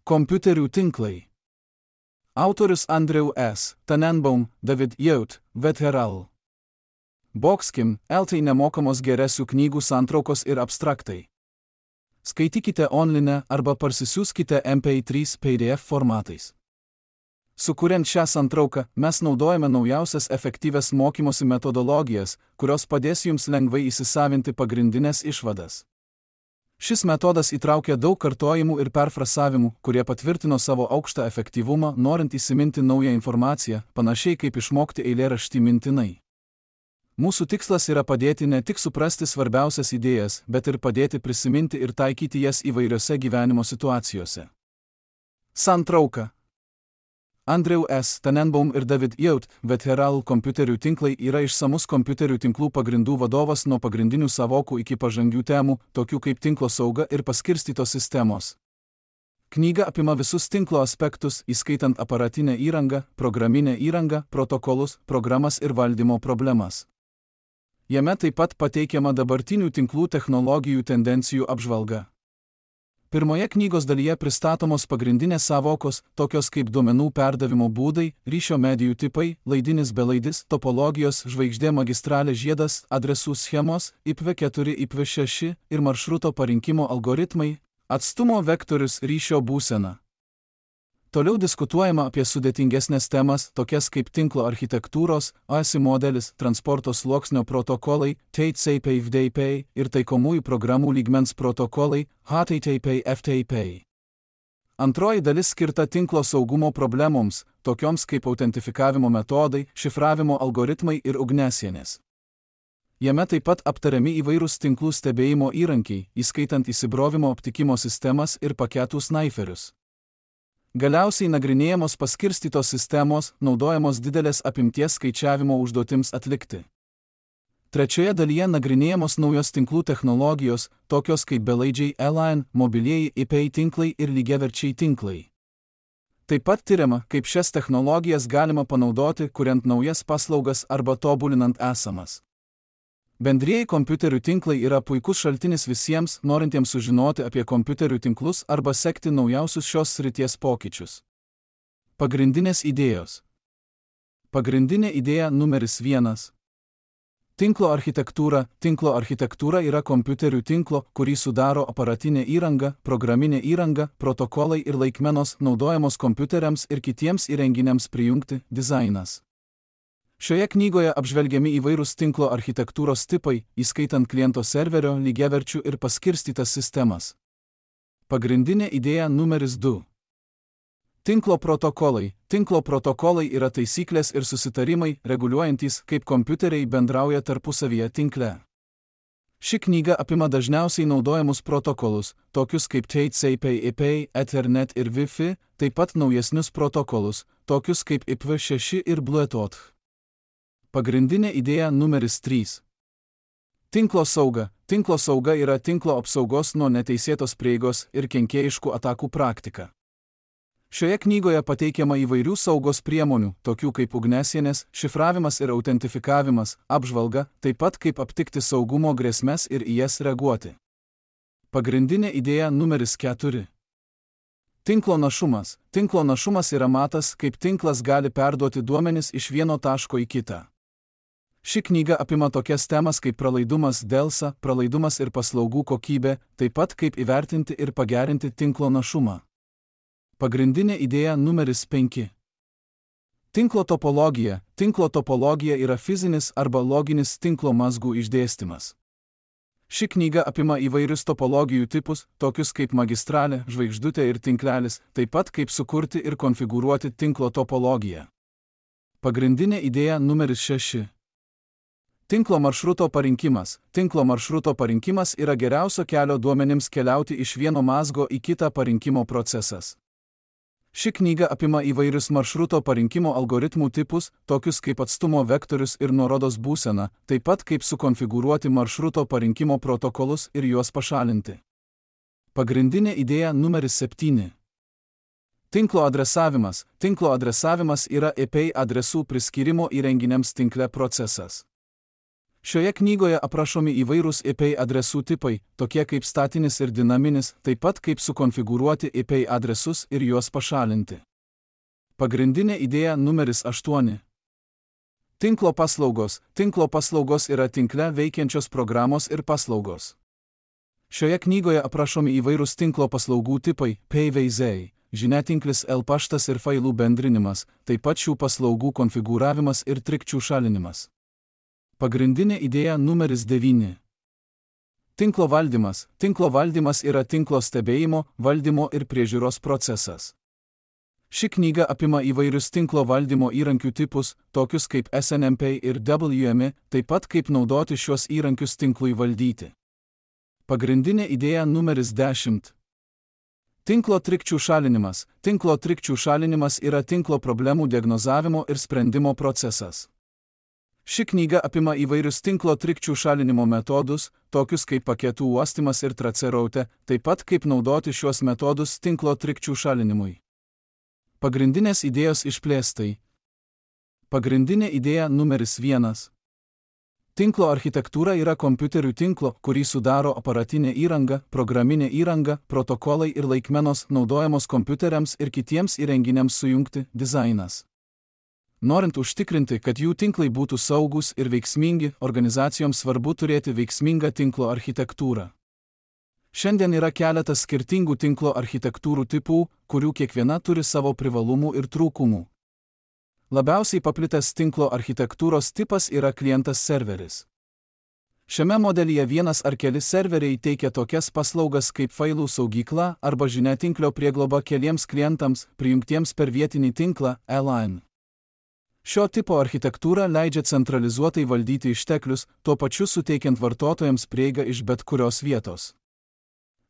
Kompiuterių tinklai. Autorius Andrew S. Tannenbaum, David Yaut, VTRL. Boxkim, LT nemokamos geresių knygų santraukos ir abstraktai. Skaitykite online arba parsisiųskite MP3 PDF formatais. Sukuriant šią santrauką, mes naudojame naujausias efektyvias mokymosi metodologijas, kurios padės jums lengvai įsisavinti pagrindinės išvadas. Šis metodas įtraukia daug kartojimų ir perfrasavimų, kurie patvirtino savo aukštą efektyvumą, norint įsiminti naują informaciją, panašiai kaip išmokti eilėraštį mintinai. Mūsų tikslas yra padėti ne tik suprasti svarbiausias idėjas, bet ir padėti prisiminti ir taikyti jas įvairiose gyvenimo situacijose. Santrauka. Andrew S. Tannenbaum ir David Yaut, VTRL kompiuterių tinklai yra išsamus kompiuterių tinklų pagrindų vadovas nuo pagrindinių sąvokų iki pažangių temų, tokių kaip tinklo sauga ir paskirstytos sistemos. Knyga apima visus tinklo aspektus, įskaitant aparatinę įrangą, programinę įrangą, protokolus, programas ir valdymo problemas. Jame taip pat pateikiama dabartinių tinklų technologijų tendencijų apžvalga. Pirmoje knygos dalyje pristatomos pagrindinės sąvokos, tokios kaip duomenų perdavimo būdai, ryšio medijų tipai, laidinis belaidis, topologijos, žvaigždė magistralė žiedas, adresų schemos, IPv4, IPv6 ir maršruto parinkimo algoritmai, atstumo vektorius, ryšio būsena. Toliau diskutuojama apie sudėtingesnės temas, tokias kaip tinklo architektūros, ASI modelis, transporto sluoksnio protokolai, TCP/FTP ir taikomųjų programų lygmens protokolai, HTTP/FTP. Antroji dalis skirta tinklo saugumo problemoms, tokioms kaip autentifikavimo metodai, šifravimo algoritmai ir ugniasienės. Jame taip pat aptariami įvairūs tinklų stebėjimo įrankiai, įskaitant įsibrovimo aptikimo sistemas ir paketų snaiferius. Galiausiai nagrinėjamos paskirstytos sistemos, naudojamos didelės apimties skaičiavimo užduotims atlikti. Trečioje dalyje nagrinėjamos naujos tinklų technologijos, tokios kaip belaidžiai LAN, mobilieji IP tinklai ir lygiaverčiai tinklai. Taip pat tiriama, kaip šias technologijas galima panaudoti, kuriant naujas paslaugas arba tobulinant esamas. Bendrieji kompiuterių tinklai yra puikus šaltinis visiems, norintiems sužinoti apie kompiuterių tinklus arba sekti naujausius šios srities pokyčius. Pagrindinės idėjos. Pagrindinė idėja numeris 1. Tinklo architektūra. Tinklo architektūra yra kompiuterių tinklo, kurį sudaro aparatinė įranga, programinė įranga, protokolai ir laikmenos, naudojamos kompiuteriams ir kitiems įrenginiams prijungti, dizainas. Šioje knygoje apžvelgiami įvairūs tinklo architektūros tipai, įskaitant kliento serverio, lygiaverčių ir paskirstytas sistemas. Pagrindinė idėja numeris 2. Tinklo protokolai. Tinklo protokolai yra taisyklės ir susitarimai, reguliuojantys, kaip kompiuteriai bendrauja tarpusavyje tinkle. Ši knyga apima dažniausiai naudojamus protokolus, tokius kaip TCP/IP, Ethernet ir Wi-Fi, taip pat naujesnius protokolus, tokius kaip IPv6 ir Bluetooth. Pagrindinė idėja numeris 3. Tinklo sauga. Tinklo sauga yra tinklo apsaugos nuo neteisėtos prieigos ir kenkėjiškų atakų praktika. Šioje knygoje pateikiama įvairių saugos priemonių, tokių kaip ugniasienės, šifravimas ir autentifikavimas, apžvalga, taip pat kaip aptikti saugumo grėsmes ir į jas reaguoti. Pagrindinė idėja numeris 4. Tinklo našumas. Tinklo našumas yra matas, kaip tinklas gali perduoti duomenis iš vieno taško į kitą. Ši knyga apima tokias temas kaip pralaidumas, delsa, pralaidumas ir paslaugų kokybė, taip pat kaip įvertinti ir pagerinti tinklo našumą. Pagrindinė idėja numeris 5. Tinklo topologija. Tinklo topologija yra fizinis arba loginis tinklo mazgų išdėstymas. Ši knyga apima įvairius topologijų tipus, tokius kaip magistralė, žvaigždutė ir tinklelis, taip pat kaip sukurti ir konfigūruoti tinklo topologiją. Pagrindinė idėja numeris 6. Tinklo maršruto parinkimas. Tinklo maršruto parinkimas yra geriausio kelio duomenims keliauti iš vieno mazgo į kitą parinkimo procesas. Ši knyga apima įvairius maršruto parinkimo algoritmų tipus, tokius kaip atstumo vektorius ir nuorodos būsena, taip pat kaip sukonfigūruoti maršruto parinkimo protokolus ir juos pašalinti. Pagrindinė idėja numeris 7. Tinklo adresavimas. Tinklo adresavimas yra IP adresų priskyrimo įrenginiams tinkle procesas. Šioje knygoje aprašomi įvairūs IP adresų tipai, tokie kaip statinis ir dinaminis, taip pat kaip sukonfigūruoti IP adresus ir juos pašalinti. Pagrindinė idėja numeris 8. Tinklo paslaugos. Tinklo paslaugos yra tinkle veikiančios programos ir paslaugos. Šioje knygoje aprašomi įvairūs tinklo paslaugų tipai, PVZ, žiniatinklis L paštas ir failų bendrinimas, taip pat šių paslaugų konfigūravimas ir trikdžių šalinimas. Pagrindinė idėja numeris 9. Tinklo valdymas. Tinklo valdymas yra tinklo stebėjimo, valdymo ir priežiūros procesas. Ši knyga apima įvairius tinklo valdymo įrankių tipus, tokius kaip SNMP ir WMI, taip pat kaip naudoti šios įrankius tinklui valdyti. Pagrindinė idėja numeris 10. Tinklo trikdžių šalinimas. Tinklo trikdžių šalinimas yra tinklo problemų diagnozavimo ir sprendimo procesas. Ši knyga apima įvairius tinklo trikdžių šalinimo metodus, tokius kaip paketų uostymas ir tracerautė, taip pat kaip naudoti šiuos metodus tinklo trikdžių šalinimui. Pagrindinės idėjos išplėstai. Pagrindinė idėja numeris 1. Tinklo architektūra yra kompiuterių tinklo, kurį sudaro aparatinė įranga, programinė įranga, protokolai ir laikmenos naudojamos kompiuteriams ir kitiems įrenginiams sujungti, dizainas. Norint užtikrinti, kad jų tinklai būtų saugūs ir veiksmingi, organizacijoms svarbu turėti veiksmingą tinklo architektūrą. Šiandien yra keletas skirtingų tinklo architektūrų tipų, kurių kiekviena turi savo privalumų ir trūkumų. Labiausiai paplitęs tinklo architektūros tipas yra klientas-serveris. Šiame modelyje vienas ar keli serveriai teikia tokias paslaugas kaip failų saugykla arba žiniatinklio priegloba keliems klientams, prijungtiems per vietinį tinklą, LAN. Šio tipo architektūra leidžia centralizuotai valdyti išteklius, tuo pačiu suteikiant vartotojams prieigą iš bet kurios vietos.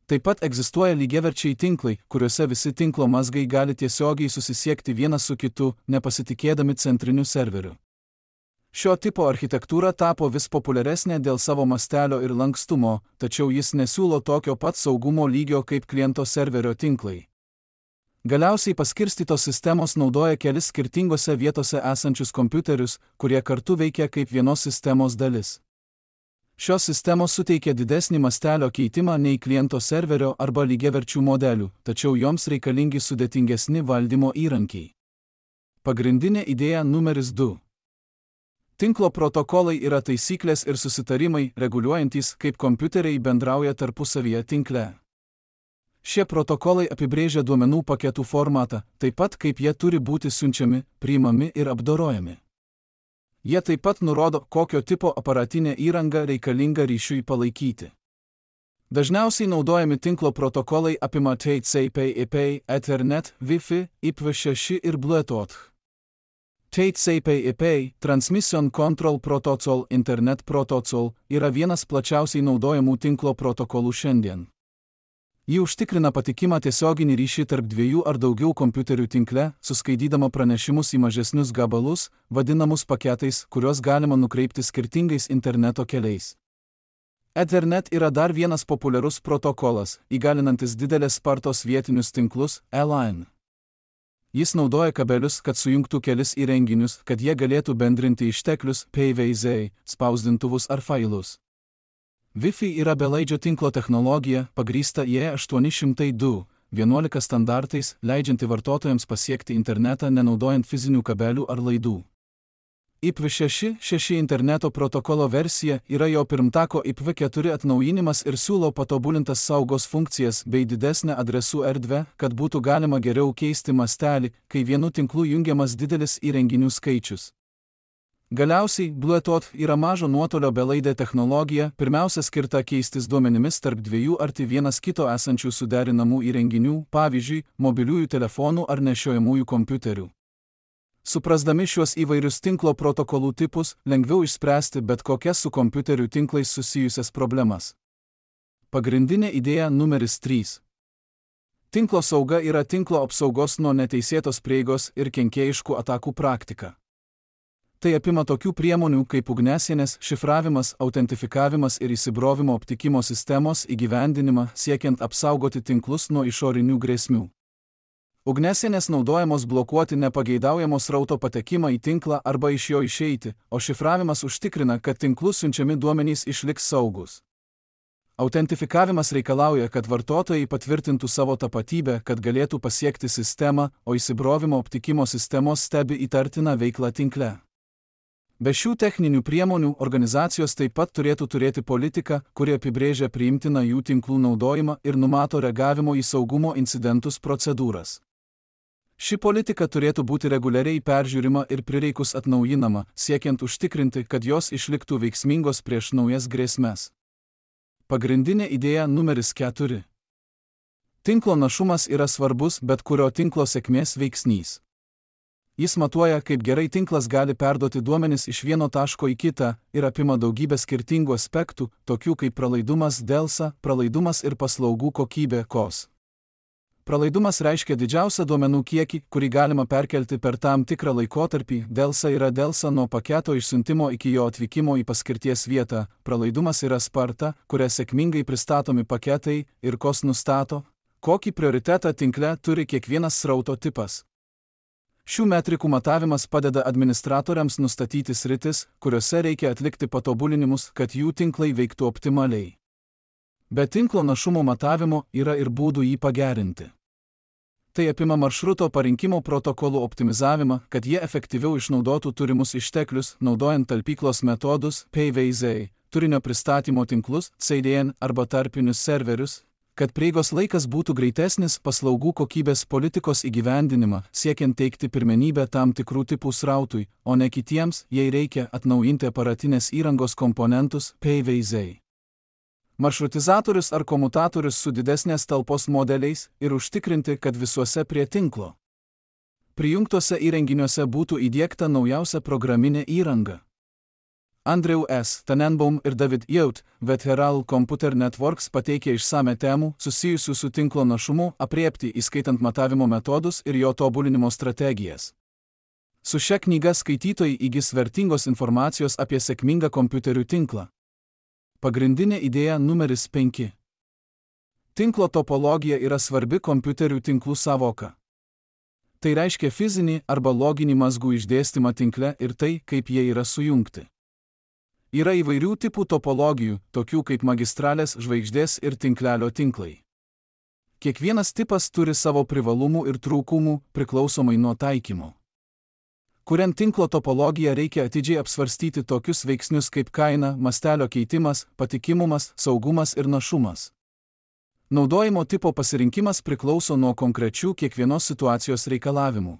Taip pat egzistuoja lygiaverčiai tinklai, kuriuose visi tinklo mazgai gali tiesiogiai susisiekti vienas su kitu, nepasitikėdami centriniu serveriu. Šio tipo architektūra tapo vis populiaresnė dėl savo mastelio ir lankstumo, tačiau jis nesiūlo tokio pat saugumo lygio kaip kliento serverio tinklai. Galiausiai paskirstytos sistemos naudoja kelis skirtingose vietose esančius kompiuterius, kurie kartu veikia kaip vienos sistemos dalis. Šios sistemos suteikia didesnį mastelio keitimą nei kliento serverio arba lygiaverčių modelių, tačiau joms reikalingi sudėtingesni valdymo įrankiai. Pagrindinė idėja numeris 2. Tinklo protokolai yra taisyklės ir susitarimai, reguliuojantys, kaip kompiuteriai bendrauja tarpusavyje tinkle. Šie protokolai apibrėžia duomenų paketų formatą, taip pat kaip jie turi būti siunčiami, priimami ir apdorojami. Jie taip pat nurodo, kokio tipo aparatinė įranga reikalinga ryšiui palaikyti. Dažniausiai naudojami tinklo protokolai apima TCP/IP, Ethernet, Wi-Fi, IPv6 ir Bluetooth. TCP/IP, Transmission Control Protocol, Internet Protocol, yra vienas plačiausiai naudojamų tinklo protokolų šiandien. Ji užtikrina patikimą tiesioginį ryšį tarp dviejų ar daugiau kompiuterių tinkle, suskaidydama pranešimus į mažesnius gabalus, vadinamus paketais, kuriuos galima nukreipti skirtingais interneto keliais. Ethernet yra dar vienas populiarus protokolas, įgalinantis didelės spartos vietinius tinklus, LAN. Jis naudoja kabelius, kad sujungtų kelis įrenginius, kad jie galėtų bendrinti išteklius, PVZ, spausdintuvus ar failus. Wi-Fi yra belaidžio tinklo technologija, pagrįsta IE802.11 standartais, leidžianti vartotojams pasiekti internetą nenaudojant fizinių kabelių ar laidų. IPv6 interneto protokolo versija yra jo pirmtako IPv4 atnaujinimas ir siūlo patobulintas saugos funkcijas bei didesnę adresų erdvę, kad būtų galima geriau keisti mastelį, kai vienu tinklu jungiamas didelis įrenginių skaičius. Galiausiai, Bluetooth yra mažo nuotolio belaidė technologija, pirmiausia skirta keistis duomenimis tarp dviejų arti vienas kito esančių suderinamų įrenginių, pavyzdžiui, mobiliųjų telefonų ar nešiojamųjų kompiuterių. Suprasdami šiuos įvairius tinklo protokolų tipus, lengviau išspręsti bet kokias su kompiuterių tinklais susijusias problemas. Pagrindinė idėja numeris 3. Tinklo sauga yra tinklo apsaugos nuo neteisėtos prieigos ir kenkėjiškų atakų praktika. Tai apima tokių priemonių kaip ugniasienės, šifravimas, autentifikavimas ir įsibrovimo aptikimo sistemos įgyvendinimą, siekiant apsaugoti tinklus nuo išorinių grėsmių. Ugniasienės naudojamos blokuoti nepageidaujamo srauto patekimą į tinklą arba iš jo išeiti, o šifravimas užtikrina, kad tinklus siunčiami duomenys išliks saugus. Autentifikavimas reikalauja, kad vartotojai patvirtintų savo tapatybę, kad galėtų pasiekti sistemą, o įsibrovimo aptikimo sistemos stebi įtartiną veiklą tinkle. Be šių techninių priemonių organizacijos taip pat turėtų turėti politiką, kuri apibrėžia priimtiną jų tinklų naudojimą ir numato reagavimo į saugumo incidentus procedūras. Ši politika turėtų būti reguliariai peržiūrima ir prireikus atnaujinama, siekiant užtikrinti, kad jos išliktų veiksmingos prieš naujas grėsmes. Pagrindinė idėja numeris 4. Tinklo našumas yra svarbus bet kurio tinklo sėkmės veiksnys. Jis matuoja, kaip gerai tinklas gali perduoti duomenis iš vieno taško į kitą ir apima daugybę skirtingų aspektų, tokių kaip pralaidumas delsa, pralaidumas ir paslaugų kokybė kos. Pralaidumas reiškia didžiausią duomenų kiekį, kurį galima perkelti per tam tikrą laikotarpį, delsa yra delsa nuo paketo išsiuntimo iki jo atvykimo į paskirties vietą, pralaidumas yra sparta, kuria sėkmingai pristatomi paketai ir kos nustato, kokį prioritetą tinkle turi kiekvienas srauto tipas. Šių metrikų matavimas padeda administratoriams nustatyti sritis, kuriuose reikia atlikti patobulinimus, kad jų tinklai veiktų optimaliai. Be tinklo našumo matavimo yra ir būdų jį pagerinti. Tai apima maršruto parinkimo protokolų optimizavimą, kad jie efektyviau išnaudotų turimus išteklius, naudojant talpyklos metodus, PVZ, turinio pristatymo tinklus, CDN arba tarpinius serverius, kad prieigos laikas būtų greitesnis, paslaugų kokybės politikos įgyvendinimą, siekiant teikti pirmenybę tam tikrų tipų srautui, o ne kitiems, jei reikia atnaujinti aparatinės įrangos komponentus, PVZ. Maršrutizatorius ar komutatorius su didesnės talpos modeliais ir užtikrinti, kad visuose prie tinklo prijungtuose įrenginiuose būtų įdiegta naujausia programinė įranga. Andrew S. Tannenbaum ir David Yout, Vetheral Computer Networks pateikė išsame temų susijusių su tinklo našumu aprėpti, įskaitant matavimo metodus ir jo tobulinimo strategijas. Su šia knyga skaitytojai įgis vertingos informacijos apie sėkmingą kompiuterių tinklą. Pagrindinė idėja numeris 5. Tinklo topologija yra svarbi kompiuterių tinklų sąvoka. Tai reiškia fizinį arba loginį mazgų išdėstymą tinkle ir tai, kaip jie yra sujungti. Yra įvairių tipų topologijų, tokių kaip magistralės, žvaigždės ir tinklelio tinklai. Kiekvienas tipas turi savo privalumų ir trūkumų, priklausomai nuo taikymo. Kuriant tinklo topologiją reikia atidžiai apsvarstyti tokius veiksnius kaip kaina, mastelio keitimas, patikimumas, saugumas ir našumas. Naudojimo tipo pasirinkimas priklauso nuo konkrečių kiekvienos situacijos reikalavimų.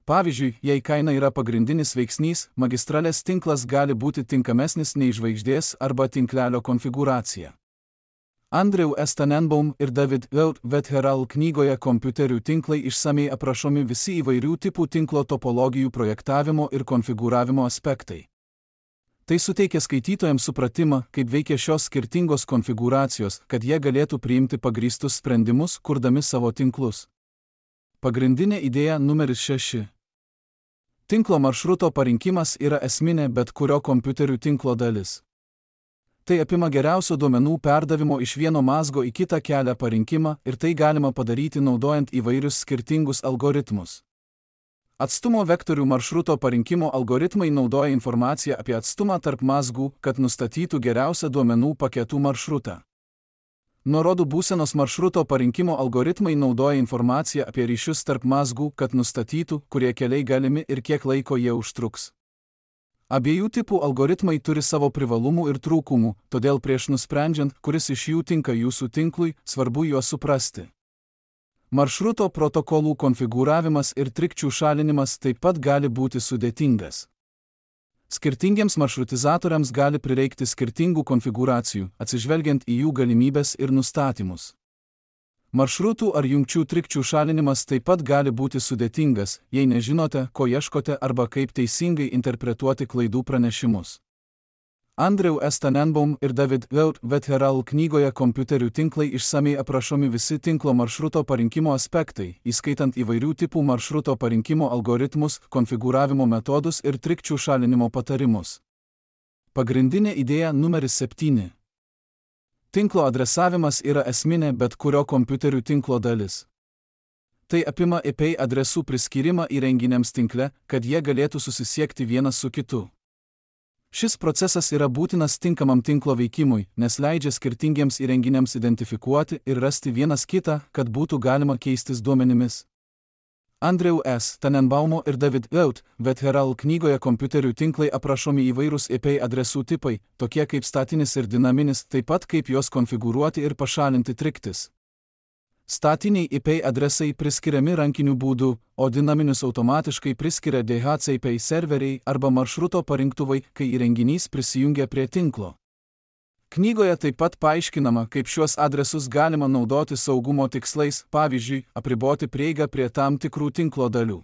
Pavyzdžiui, jei kaina yra pagrindinis veiksnys, magistralės tinklas gali būti tinkamesnis nei žvaigždės arba tinklelio konfigūracija. Andrew S. Tannenbaum ir David Yout Vetheral knygoje Kompiuterių tinklai išsamiai aprašomi visi įvairių tipų tinklo topologijų projektavimo ir konfigūravimo aspektai. Tai suteikia skaitytojams supratimą, kaip veikia šios skirtingos konfigūracijos, kad jie galėtų priimti pagrįstus sprendimus, kurdami savo tinklus. Pagrindinė idėja numeris 6. Tinklo maršruto parinkimas yra esminė bet kurio kompiuterių tinklo dalis. Tai apima geriausio duomenų perdavimo iš vieno mazgo į kitą kelią parinkimą ir tai galima padaryti naudojant įvairius skirtingus algoritmus. Atstumo vektorių maršruto parinkimo algoritmai naudoja informaciją apie atstumą tarp mazgų, kad nustatytų geriausią duomenų paketų maršrutą. Nuorodų būsenos maršruto parinkimo algoritmai naudoja informaciją apie ryšius tarp mazgų, kad nustatytų, kurie keliai galimi ir kiek laiko jie užtruks. Abiejų tipų algoritmai turi savo privalumų ir trūkumų, todėl prieš nusprendžiant, kuris iš jų tinka jūsų tinklui, svarbu juos suprasti. Maršruto protokolų konfigūravimas ir trikdžių šalinimas taip pat gali būti sudėtingas. Skirtingiems maršrutizatoriams gali prireikti skirtingų konfigūracijų, atsižvelgiant į jų galimybes ir nustatymus. Maršrutų ar jungčių trikdžių šalinimas taip pat gali būti sudėtingas, jei nežinote, ko ieškote arba kaip teisingai interpretuoti klaidų pranešimus. Andrew S. Tannenbaum ir David Yout Vetheral knygoje Kompiuterių tinklai išsamiai aprašomi visi tinklo maršruto parinkimo aspektai, įskaitant įvairių tipų maršruto parinkimo algoritmus, konfigūravimo metodus ir trikdžių šalinimo patarimus. Pagrindinė idėja numeris 7. Tinklo adresavimas yra esminė bet kurio kompiuterių tinklo dalis. Tai apima IP adresų priskyrimą įrenginiams tinkle, kad jie galėtų susisiekti vienas su kitu. Šis procesas yra būtinas tinkamam tinklo veikimui, nes leidžia skirtingiems įrenginiams identifikuoti ir rasti vienas kitą, kad būtų galima keistis duomenimis. Andrew S. Tannenbaumo ir David Yout, Vetheral knygoje kompiuterių tinklai aprašomi įvairūs IP adresų tipai, tokie kaip statinis ir dinaminis, taip pat kaip juos konfigūruoti ir pašalinti triktis. Statiniai IP adresai priskiriami rankiniu būdu, o dinaminius automatiškai priskiria DHCP serveriai arba maršruto parinktuvai, kai įrenginys prisijungia prie tinklo. Knygoje taip pat paaiškinama, kaip šiuos adresus galima naudoti saugumo tikslais, pavyzdžiui, apriboti prieigą prie tam tikrų tinklo dalių.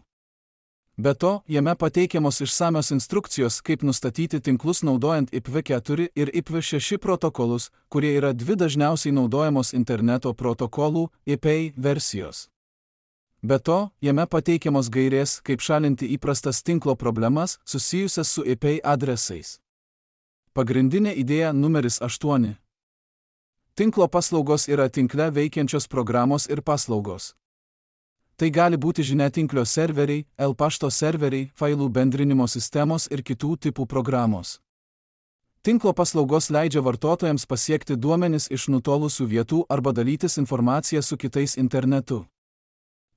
Be to, jame pateikiamos išsamios instrukcijos, kaip nustatyti tinklus naudojant IPv4 ir IPv6 protokolus, kurie yra dvi dažniausiai naudojamos interneto protokolų IP versijos. Be to, jame pateikiamos gairės, kaip šalinti įprastas tinklo problemas susijusias su IP adresais. Pagrindinė idėja numeris 8. Tinklo paslaugos yra tinkle veikiančios programos ir paslaugos. Tai gali būti žiniatinklio serveriai, pašto serveriai, failų bendrinimo sistemos ir kitų tipų programos. Tinklo paslaugos leidžia vartotojams pasiekti duomenis iš nutolusių vietų arba dalytis informaciją su kitais internetu.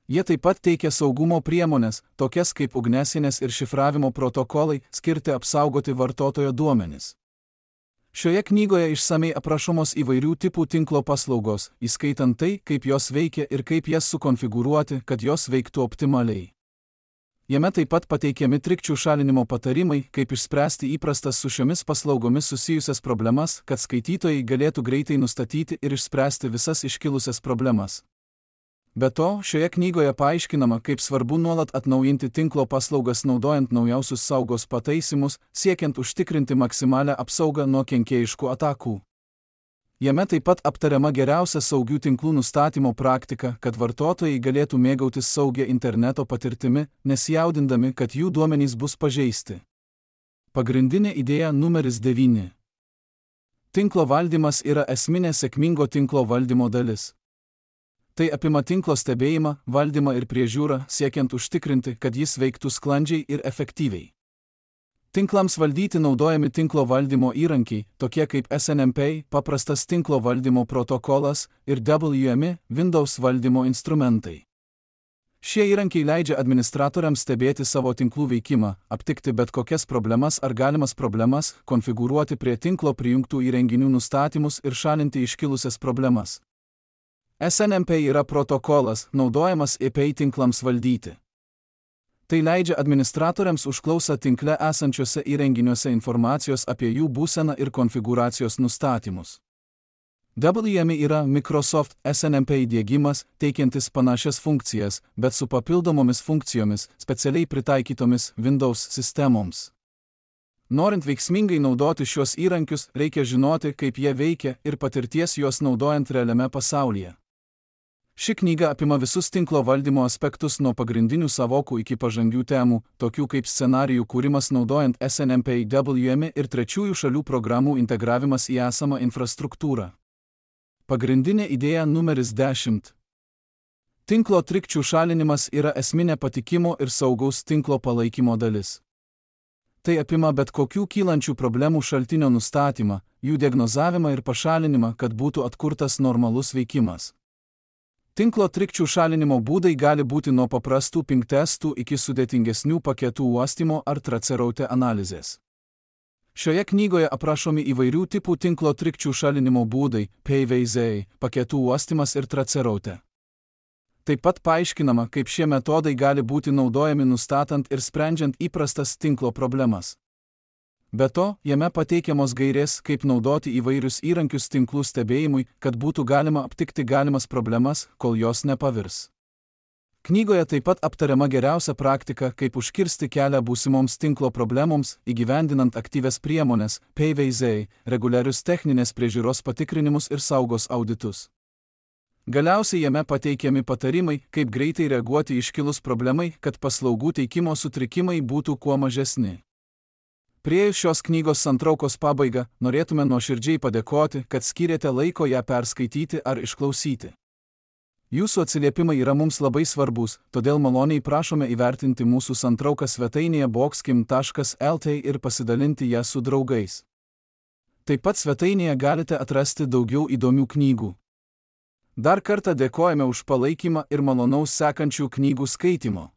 Jie taip pat teikia saugumo priemonės, tokias kaip ugniasienės ir šifravimo protokolai, skirti apsaugoti vartotojo duomenis. Šioje knygoje išsamei aprašomos įvairių tipų tinklo paslaugos, įskaitant tai, kaip jos veikia ir kaip jas sukonfigūruoti, kad jos veiktų optimaliai. Jame taip pat pateikiami trikdžių šalinimo patarimai, kaip išspręsti įprastas su šiomis paslaugomis susijusias problemas, kad skaitytojai galėtų greitai nustatyti ir išspręsti visas iškilusias problemas. Be to, šioje knygoje paaiškinama, kaip svarbu nuolat atnaujinti tinklo paslaugas naudojant naujausius saugos pataisymus, siekiant užtikrinti maksimalią apsaugą nuo kenkėjiškų atakų. Jame taip pat aptariama geriausia saugių tinklų nustatymo praktika, kad vartotojai galėtų mėgautis saugia interneto patirtimi, nesijaudindami, kad jų duomenys bus pažeisti. Pagrindinė idėja numeris 9. Tinklo valdymas yra esminė sėkmingo tinklo valdymo dalis. Tai apima tinklo stebėjimą, valdymą ir priežiūrą, siekiant užtikrinti, kad jis veiktų sklandžiai ir efektyviai. Tinklams valdyti naudojami tinklo valdymo įrankiai, tokie kaip SNMP, paprastas tinklo valdymo protokolas, ir WMI, Windows valdymo instrumentai. Šie įrankiai leidžia administratoriams stebėti savo tinklų veikimą, aptikti bet kokias problemas ar galimas problemas, konfigūruoti prie tinklo prijungtų įrenginių nustatymus ir šalinti iškilusias problemas. SNMP yra protokolas, naudojamas IP tinklams valdyti. Tai leidžia administratoriams užklausą tinkle esančiuose įrenginiuose informacijos apie jų būseną ir konfigūracijos nustatymus. WMI yra Microsoft SNMP įdiegimas, teikiantis panašias funkcijas, bet su papildomomis funkcijomis, specialiai pritaikytomis Windows sistemoms. Norint veiksmingai naudoti šios įrankius, reikia žinoti, kaip jie veikia ir patirties juos naudojant realiame pasaulyje. Ši knyga apima visus tinklo valdymo aspektus nuo pagrindinių savokų iki pažangių temų, tokių kaip scenarijų kūrimas naudojant SNMP, WMI ir trečiųjų šalių programų integravimas į esamą infrastruktūrą. Pagrindinė idėja numeris 10. Tinklo trikdžių šalinimas yra esminė patikimo ir saugaus tinklo palaikymo dalis. Tai apima bet kokių kylančių problemų šaltinio nustatymą, jų diagnozavimą ir pašalinimą, kad būtų atkurtas normalus veikimas. Tinklo trikdžių šalinimo būdai gali būti nuo paprastų ping testų iki sudėtingesnių paketų uostymo ar traceraute analizės. Šioje knygoje aprašomi įvairių tipų tinklo trikdžių šalinimo būdai, PVZ, paketų uostymas ir traceraute. Taip pat paaiškinama, kaip šie metodai gali būti naudojami nustatant ir sprendžiant įprastas tinklo problemas. Be to, jame pateikiamos gairės, kaip naudoti įvairius įrankius tinklų stebėjimui, kad būtų galima aptikti galimas problemas, kol jos nepavirs. Knygoje taip pat aptariama geriausia praktika, kaip užkirsti kelią būsimoms tinklo problemoms, įgyvendinant aktyvias priemones, PVZ, reguliarius techninės priežiūros patikrinimus ir saugos auditus. Galiausiai jame pateikiami patarimai, kaip greitai reaguoti iškilus problemai, kad paslaugų teikimo sutrikimai būtų kuo mažesni. Priėjus šios knygos santraukos pabaigą, norėtume nuoširdžiai padėkoti, kad skyrėte laiko ją perskaityti ar išklausyti. Jūsų atsiliepimai yra mums labai svarbus, todėl maloniai prašome įvertinti mūsų santrauką svetainėje boxkim.lt ir pasidalinti ją su draugais. Taip pat svetainėje galite atrasti daugiau įdomių knygų. Dar kartą dėkojame už palaikymą ir malonaus sekančių knygų skaitymo.